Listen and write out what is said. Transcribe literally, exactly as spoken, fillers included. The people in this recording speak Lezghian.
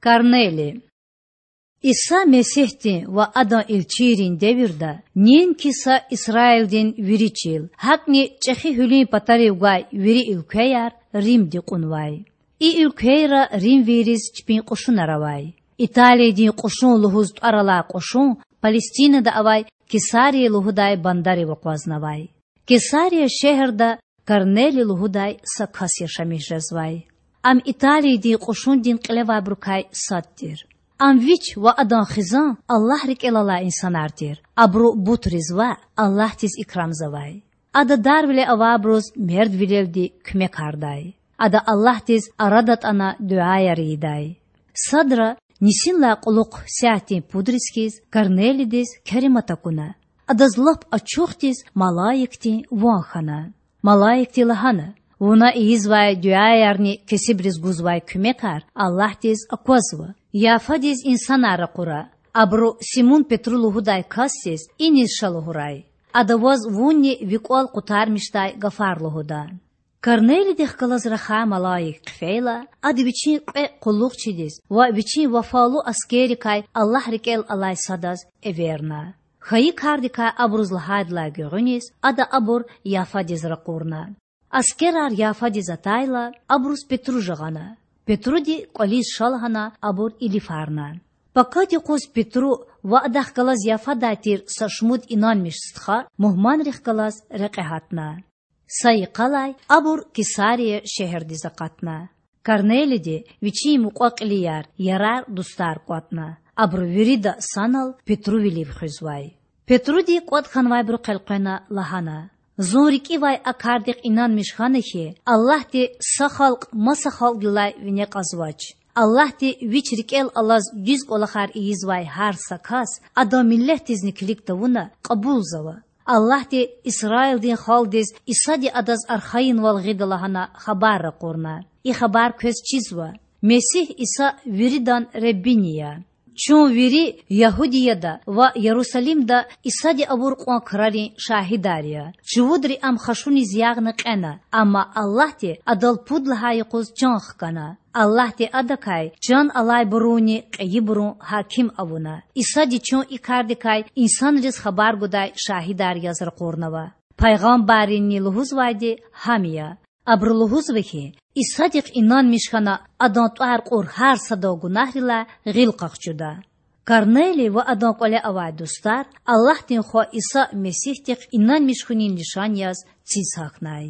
Корнелий. Иса Месигьдин ва Адан илчийрин девирда неинки са Исраилдин вири чил, гьакІни чІехи гьуьлуьн патарив гвай вири уьлквеяр Римди кьунвай. И уьлквейра римвийриз чпин кьушунар авай. Италиядин кьушун лугьуз тІвар алай кьушун Палестинада авай Кесария лугьудай бандарив акъвазнавай. Кесария шегьерда Корнелий лугьудай са кас яшамиш жезвай. Ам Италиядин кьушундин кьилевайбурукай сад тир. Ам вич ва адан хизан Аллагь рикІел алай инсанар тир, абуру бутриз ваъ, Аллагьдиз икрамзавай. Ада дарвиле авайбуруз мердвилелди куьмекардай. Ада Аллагьдиз ара датІана дуьаяр ийидай. Садра нисинлай кьулухъ сятдин пудриз хьиз Корнелийдиз керемат акуна. Адаз лап ачухдиз малаикдин ван хьана. Малаикди лагьана: Вуна ийизвай дуьаярни кесибриз гузвай куьмекар Аллагьдиз аквазва. Яфадиз инсанар ракъура, абуру Симун-Петру лугьудай касдиз иниз ша лугьурай. Ада ваз вунни ви кІвал къутармишдай гафар лугьуда. Корнелийдихъ галаз рахай малаик хъфейла, ада вичин кьве къуллугъчидиз ва вичин вафалу аскеррикай Аллагь рикІел алай садаз эверна. Хьайи кардикай абуруз лагьайдалай гуьгъуьниз ада абур Яфадиз ракъурна. Аскерар Яфадиз атайла, абуруз Петру жагъана. Петруди кІвализ ша лагьана абур илифарна. Пакад юкъуз Петру ва адахъ галаз Яфадай тир са шумуд инанмиш стха мугьманрихъ галаз рекье гьатна. Са йикъалай абур Кесария шегьердиз акъатна. Корнелийди вичин мукьва-кьилияр, ярар-дустар кІватІна. Абуру вирида санал Петрувилив хуьзвай. Петруди кІватІ хьанвайбурухъ элкъвена лагьана: Зун рикІивай а кардихъ инанмиш хьана хьи, Аллагьди са халкь маса халкьдилай вине кьазвач. Аллагьди Вич рикІел алаз дуьз кІвалахар ийизвай гьар са кас, адан миллетдизни килиг тавуна, кьабулзава. Аллагьди Исраилдин халкьдиз Исади адаз архайинвал гъида лагьана хабар ракъурна. И хабар квез чизва: Месигь Иса виридан Худани я. Чун вири Ягьудияда ва Ярусалимда Исади авур кьван крарин шагьидар я. Чувудри Ам хашуниз ягъна кьена, амма Аллагьди Адал пуд лагьай юкъуз чан хкана. Аллагьди Адакай чан алайбурунни кьейибурун гьаким авуна. Исади чун и кардикай инсанриз хабар гудай шагьидар яз ракъурнава. Пайгъамбаррини лугьузвайди гьам я. Абуру лугьузва хьи, Исадихъ инанмиш хьана адан тІвар кьур гьар садан гунагьрилай гъил къахчуда. Корнелий ва адан кІвале авай дустар Аллагьдин Хва Иса Месигьдихъ инанмиш хьунин лишан яз циз гьахьнай.